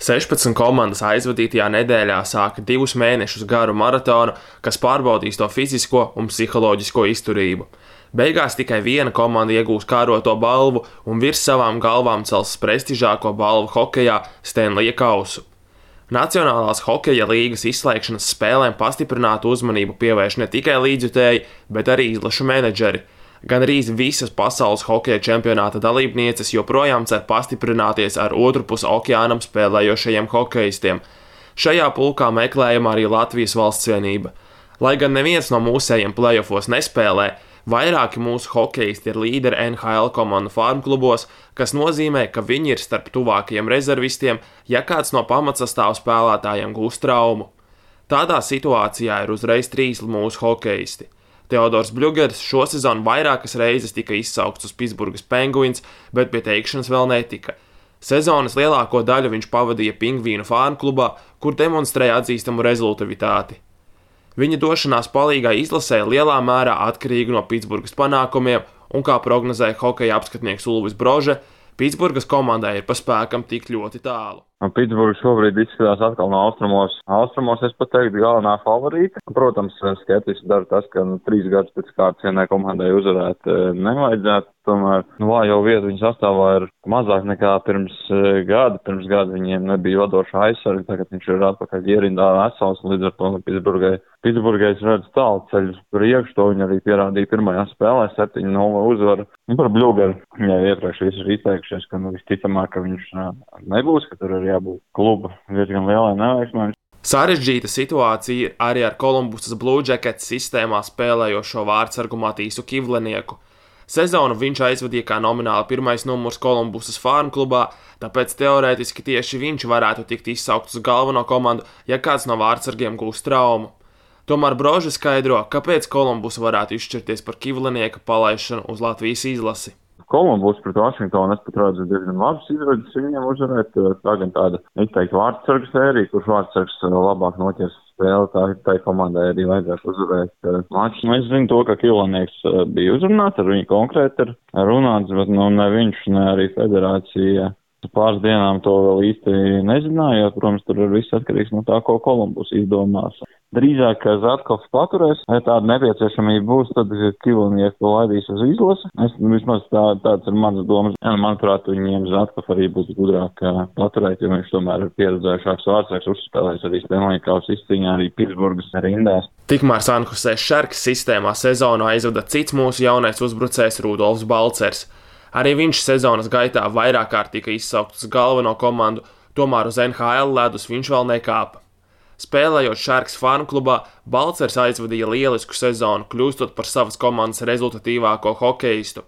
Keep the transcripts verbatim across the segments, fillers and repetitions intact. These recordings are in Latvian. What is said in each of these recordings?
sešpadsmit komandas aizvadītajā nedēļā sāka divus mēnešus garu maratonu, kas pārbaudīs to fizisko un psiholoģisko izturību. Beigās tikai viena komanda iegūs kāroto balvu un virs savām galvām cels prestižāko balvu hokejā Stanleya kausu. Nacionālās hokeja līgas izslēgšanas spēlēm pastiprinātu uzmanību pievērš ne tikai līdzjutēji, bet arī izlašu menedžeri. Gan arī visas pasaules hokeja čempionāta dalībnieces joprojām cer pastiprināties ar otru pus okeānam spēlējošajiem hokejistiem. Šajā pulkā meklējama arī Latvijas valstsvienība. Lai gan neviens no mūsējiem play-offos nespēlē, vairāki mūsu hokejisti ir līderi N H L komandu farmklubos, kas nozīmē, ka viņi ir starp tuvākajiem rezervistiem, ja kāds no pamatsastāvu spēlētājiem gūst traumu. Tādā situācijā ir uzreiz trīs mūsu hokejisti. Teodors Bļugers šosezon vairākas reizes tika izsaukts uz Pitsburgas Penguins, bet pie teikšanas vēl netika. Sezonas lielāko daļu viņš pavadīja Pingvīnu farmklubā, kur demonstrēja atzīstamu rezultavitāti. Viņa došanās palīgā izlasē lielā mērā atkarīga no Pitsburgas panākumiem, un kā prognozēja hokeja apskatnieks Ulvis Brože, Pitsburgas komandai ir pa spēkam tik ļoti tālu. Pitsburga šobrīd izskatās atkal no austrumos. Austrumos es pat teiktu galvenā favorīta. Protams, skeptiski dara tas, ka nu, trīs gadus pēc kārtas vienai komandai uzvarēt nevajadzētu. Tomēr nu, vājo vietu viņa sastāvā ir mazāk nekā pirms gada. Pirms gada viņiem nebija vadošā aizsarga, tagad viņš ir atpakaļ ierindā vesels, līdz ar to nu, Pitsburgai. Pitsburgai es redzu tālu ceļu priekš, to viņi arī pierādīja pirmajā spēlē, septiņi nulle uzvaru. Un par Bļugeru, jau iepriekš visi ir izteikušies, ka nu, visticamāk, ka viņš nebūs, ka tur ir jābūt kluba diezgan lielai neveiksmēm. Sarežģīta situācija arī ar Kolumbusas Blue Jackets sistēmā spēlējošo vārdsargu Matīsu Kivlenieku. Sezonu viņš aizvadīja kā nomināli pirmais numurs Kolumbusas farmklubā, tāpēc teorētiski tieši viņš varētu tikt izsaukts uz galveno komandu, ja kāds no vārdsargiem gūs traumu. Tomēr Brože skaidro, kāpēc Kolumbus varētu izšķirties par Kivlenieka palaišanu uz Latvijas izlasi. Kolumbus pret Vašingtonu es pat redzu diezgan labas izredzes viņiem uzvarēt. Tā gan tāda izteikti vārdsargu sērija, kurš vārdsargs labāk noķers spēli, tā, tā komandai arī vajadzētu uzvarēt maču. Es zinu to, ka Kivlenieks bija uzrunāts, ar viņu konkrēti ir runāts, bet nu, ne viņš, ne arī federācija pāris dienām to vēl īsti nezināja, jo, protams, tur ir viss atkarīgs no tā, ko Kolumbus izdomās. Drīzāk, ka Zatkovs paturēs, ja tāda nepieciešamība būs, tad Kivlenieku laidīs uz izlasi. Es, vismaz tā, tāds ir manas domas. Ja, manuprāt, viņiem Zatkov arī būs gudrāk paturēt, jo viņš tomēr ir pieredzējušāks vārdsargs, uzspēlējis arī Stanleya kausa izcīņā, arī Pitsburgas rindās. Tikmēr San Jose Sharks sistēmā sezonu aizvada cits mūsu jaunais uzbrucējs Rudolfs Balcers. Arī viņš sezonas gaitā vairāk kārt tika izsaukts uz galveno komandu, tomēr uz N H L ledus viņš vēl nekāpa. Spēlējot Sharks farmklubā, Balcers aizvadīja lielisku sezonu, kļūstot par savas komandas rezultatīvāko hokejistu.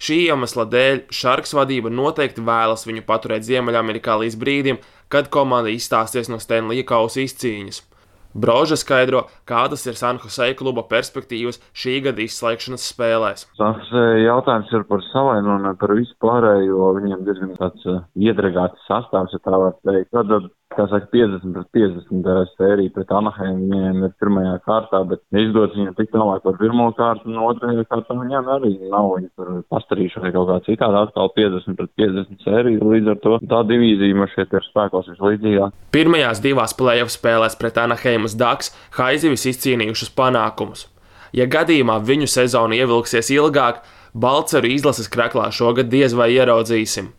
Šī iemesla dēļ Sharks vadība noteikti vēlas viņu paturēt Ziemeļamerikā līdz brīdim, kad komanda izstāsies no Stanleya kausa izcīņas. Brože skaidro, kādas ir San Jose kluba perspektīvas šī gada izslēgšanas spēlēs. San Jose jautājums ir par savainu un par visu pārējo, viņiem diezgan tāds iedragāts sastāvs, ja tā var teikt. Tad, kā saka, piecdesmit pret piecdesmit sērija pret Anaheim viņiem ir pirmajā kārtā, bet izdodas viņiem tik tālāk par pirmo kārtu, un otrajā kārtā viņiem arī nav viņi tur pastarījuši vai kaut kā citādi, atkal piecdesmit pret piecdesmit sērija, līdz ar to tā divīzija man šeit ir spēkos vislīdzīgāk. Pirmajās divās play-off spēlēs pret Anaheimas Ducks Haizivis izcīnījušas panākumus. Ja gadījumā viņu sezonu ievilksies ilgāk, Balceru izlases kraklā šogad diez vai ieraudzīsim.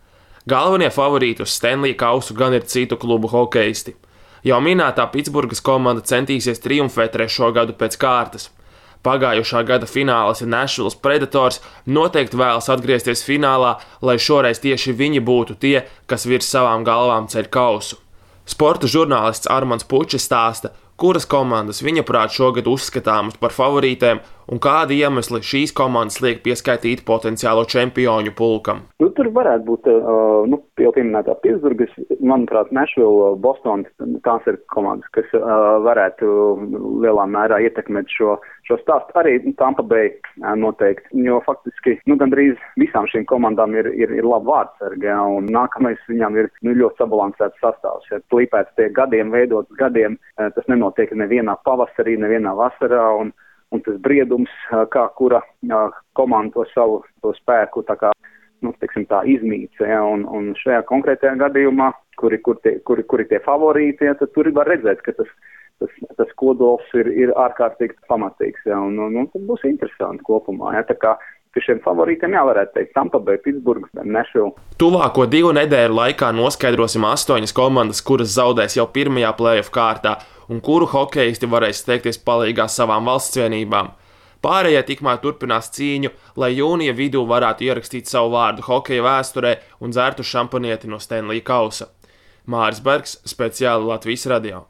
Galvenie favorīti uz Stanleya kausu gan ir citu klubu hokejisti. Jau minētā Pitsburgas komanda centīsies triumfēt trešo gadu pēc kārtas. Pagājušā gada finālis ir Nashvilles Predators, noteikti vēlas atgriezties finālā, lai šoreiz tieši viņi būtu tie, kas virs savām galvām ceļ kausu. Sporta žurnālists Armands Pučis stāsta, kuras komandas viņa prāt šogad uzskatāmas par favorītēm un kādi iemesli šīs komandas liek pieskaitīt potenciālo čempioņu pulkam. Nu, tur varētu būt, uh, nu, jau pieminētā Pitsburgas, manuprāt, Nashville, Boston, tās ir komandas, kas uh, varētu lielā mērā ietekmēt šo, šo stāstu. Arī Tampa Bay uh, noteikti, jo faktiski, nu, gandrīz visām šīm komandām ir, ir, ir laba vārdsargi, ja, un nākamais viņām ir nu, ļoti sabalansēts sastāvs. Ja plīpēts tie gadiem, veidots gadiem, uh, tas nenotiek nevienā pavasarī, nevienā vasarā, un Un tas briedums, kā kura komanda to savu to spēku tā kā nu, teiksim tā, izmīca, ja, un, un šajā konkrētajā gadījumā, kuri, kur tie, kuri, kuri tie favorīti, ja, tad tur var redzēt, ka tas, tas, tas kodols ir, ir ārkārtīgi pamatīgs, ja, un, un, un tas būs interesanti kopumā, ja, tā kā pie šiem favorītiem jāvarētu teikt Tampa Bay, Pittsburgh, Nashville. Tuvāko divu nedēļu laikā noskaidrosim astoņas komandas, kuras zaudēs jau pirmajā play-off kārtā un kuru hokeisti varēs steigties palīgā savām valsts vienībām. Pārējie tikmēr turpinās cīņu, lai jūnija vidū varētu ierakstīt savu vārdu hokeja vēsturē un dzertu šampanieti no Stanley kausa. Māris Bergs, speciāli Latvijas radio.